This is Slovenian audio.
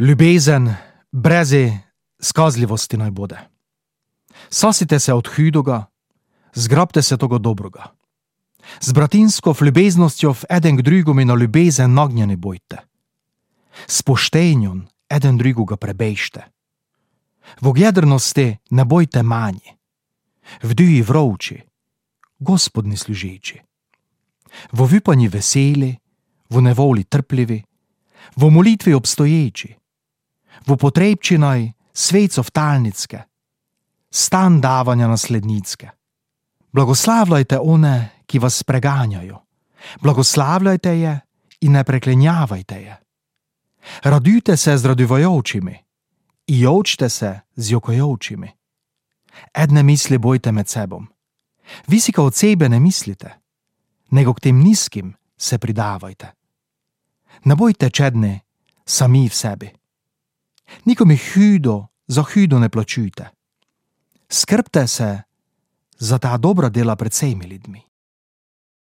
Ljubezen breze skazljivosti naj bude. Sasite se od hudoga, zgrabte se toga dobroga. Z bratinsko ljubeznostjo eden k drugome na ljubezen nagnjeni bojte. S poštenjem eden drugoga prebejšte. V ogjedrnosti ne bojte manji. V duji vrovči, Gospodni služeči. V vipanji veseli, v nevoli trpljivi, v molitvi obstoječi, v potrebčinaj svecov talnicke, stan davanja naslednicke. Blagoslavljajte one, ki vas preganjajo, blagoslavljajte je in ne preklenjavajte je. Radujte se z radujočimi in jočte se z jokajočimi. Edne misli bojte med sebom. Visika od sebe ne mislite, nego k tem nizkim se pridavajte. Ne bojte čedni sami v sebi. Nikomu hudo za hudo ne plačujte. Skrbte se za ta dobra dela pred vsemi ljudmi.